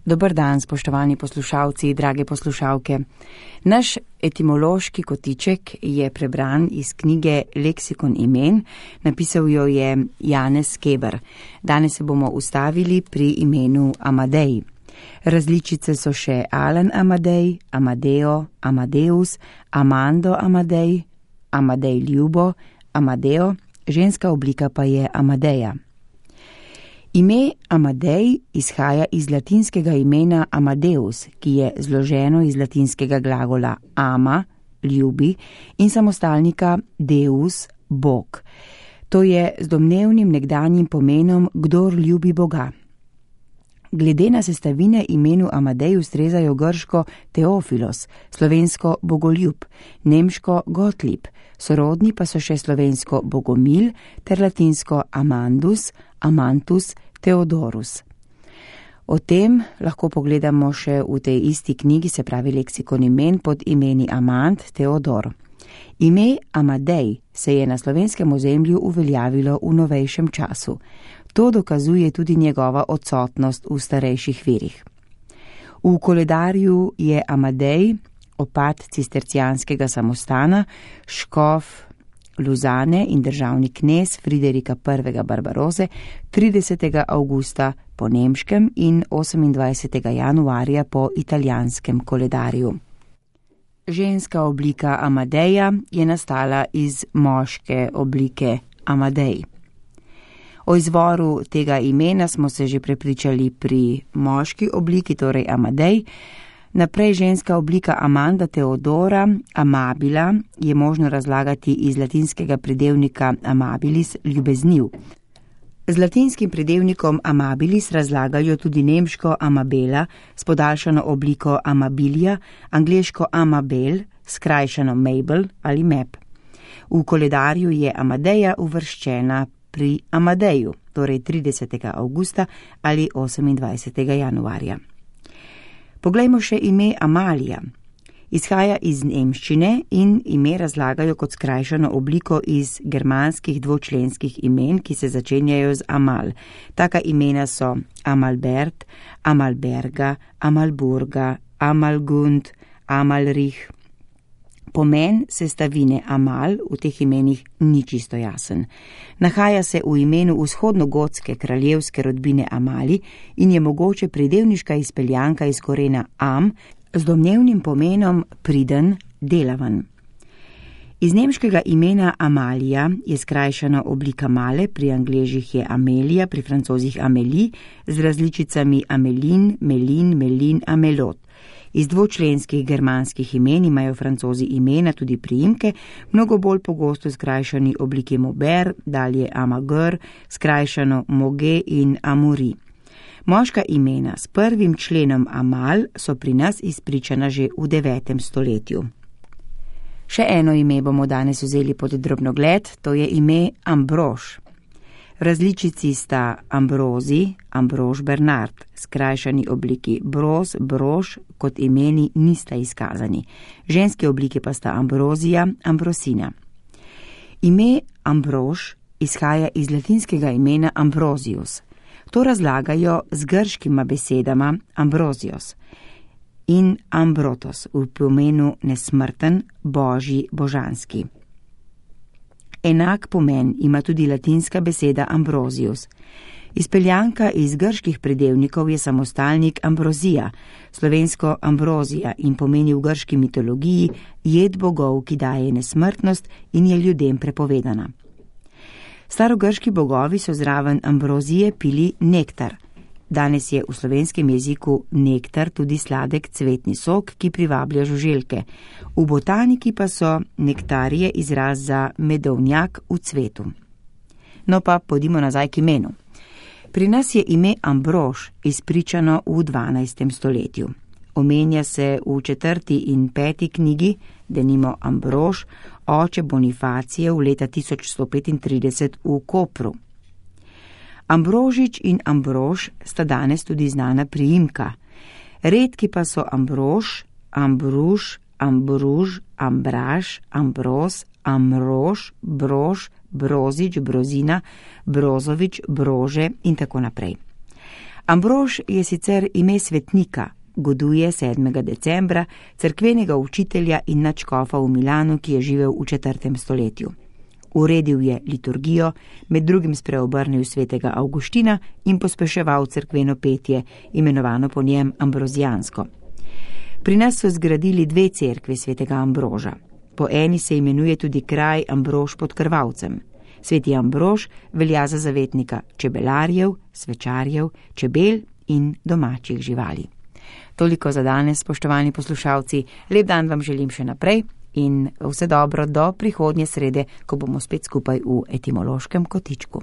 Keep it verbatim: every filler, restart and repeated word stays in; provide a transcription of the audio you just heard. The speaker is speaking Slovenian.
Dober dan, spoštovani poslušalci, drage poslušalke. Naš etimološki kotiček je prebran iz knjige Leksikon imen, napisal jo je Janez Keber. Danes se bomo ustavili pri imenu Amadej. Različice so še Alan Amadej, Amadeo, Amadeus, Amando Amadej, Amadej Ljubo, Amadeo, ženska oblika pa je Amadeja. Ime Amadej izhaja iz latinskega imena Amadeus, ki je zloženo iz latinskega glagola ama, ljubi, in samostalnika deus, bog. To je z domnevnim nekdanjim pomenom kdor ljubi Boga. Glede na sestavine imenu Amadej ustrezajo grško Teofilos, slovensko bogoljub, nemško Gottlieb, sorodni pa so še slovensko Bogomil ter latinsko Amandus, Amantus, Theodorus. O tem lahko pogledamo še v tej isti knjigi, se pravi Leksikon imen, pod imeni Amand, Theodor. Ime Amadej se je na slovenskem ozemlju uveljavilo v novejšem času. To dokazuje tudi njegova odsotnost v starejših virih. V koledarju je Amadej, opat cistercijanskega samostana, škof Luzane in državni knez Friderika prvega Barbaroze tridesetega avgusta po nemškem in osemindvajsetega januarja po italijanskem koledarju. Ženska oblika Amadeja je nastala iz moške oblike Amadej. O izvoru tega imena smo se že prepričali pri moški obliki, torej Amadej. Naprej ženska oblika Amanda Teodora, amabila, je možno razlagati iz latinskega pridevnika amabilis, ljubezniv. Z latinskim pridevnikom amabilis razlagajo tudi nemško amabela s podaljšano obliko amabilia, angleško amabel, skrajšano Mabel ali Map. V koledarju je Amadeja uvrščena pri Amadeju, torej tridesetega avgusta ali osemindvajsetega januarja. Poglejmo še ime Amalija. Izhaja iz nemščine in ime razlagajo kot skrajšano obliko iz germanskih dvočlenskih imen, ki se začenjajo z Amal. Taka imena so Amalbert, Amalberga, Amalburga, Amalgund, Amalrich. Pomen sestavine Amal v teh imenih ni čisto jasen. Nahaja se v imenu vzhodnogotske kraljevske rodbine Amali in je mogoče pridevniška izpeljanka iz korena am z domnevnim pomenom priden, delaven. Iz nemškega imena Amalija je skrajšana oblika Male, pri Angležih je Amelija, pri Francozih Amélie, z različicami Amelin, Melin, Melin, Amelot. Iz dvočlenskih germanskih imen imajo Francozi imena tudi priimke, mnogo bolj pogosto skrajšani obliki Mober, dalje Amagr, skrajšano Moge in Amuri. Moška imena s prvim členom Amal so pri nas izpričana že v devetem stoletju. Še eno ime bomo danes vzeli pod drobnogled, to je ime Ambrož. V različici sta Ambrozi, Ambrož Bernard, skrajšani obliki Broz, Brož, kot imeni nista izkazani. Ženske oblike pa sta Ambrozija, Ambrosina. Ime Ambrož izhaja iz latinskega imena Ambrosius. To razlagajo z grškima besedama Ambrosios in Ambrotos v pomenu nesmrten, božji, božanski. Enak pomen ima tudi latinska beseda Ambrosius. Izpeljanka iz grških pridevnikov je samostalnik Ambrozija, slovensko Ambrozija, in pomeni v grški mitologiji jed bogov, ki daje nesmrtnost in je ljudem prepovedana. Starogrški bogovi so zraven Ambrozije pili nektar. Danes je v slovenskem jeziku nektar tudi sladek cvetni sok, ki privablja žuželke. V botaniki pa so nektarije izraz za medovnjak v cvetu. No pa pojdimo nazaj k imenu. Pri nas je ime Ambrož izpričano v dvanajstem stoletju. Omenja se v četrti in peti knjigi, denimo Ambrož, oče Bonifacije v leta tisoč sto petintrideset v Kopru. Ambrožič in Ambrož sta danes tudi znana priimka. Redki pa so Ambrož, Ambruž, Ambruž, Ambraž, Ambroz, Amrož, Brož, Brozič, Brozina, Brozovič, Brože in tako naprej. Ambrož je sicer ime svetnika, goduje sedmega decembra, cerkvenega učitelja in nadškofa v Milanu, ki je živel v četrtem stoletju. Uredil je liturgijo, med drugim spreobrnil svetega Avguština in pospeševal cerkveno petje, imenovano po njem ambrozijansko. Pri nas so zgradili dve cerkvi svetega Ambroža. Po eni se imenuje tudi kraj Ambrož pod Krvavcem. Sveti Ambrož velja za zavetnika čebelarjev, svečarjev, čebel in domačih živali. Toliko za danes, spoštovani poslušalci. Lep dan vam želim še naprej in vse dobro do prihodnje srede, ko bomo spet skupaj v etimološkem kotičku.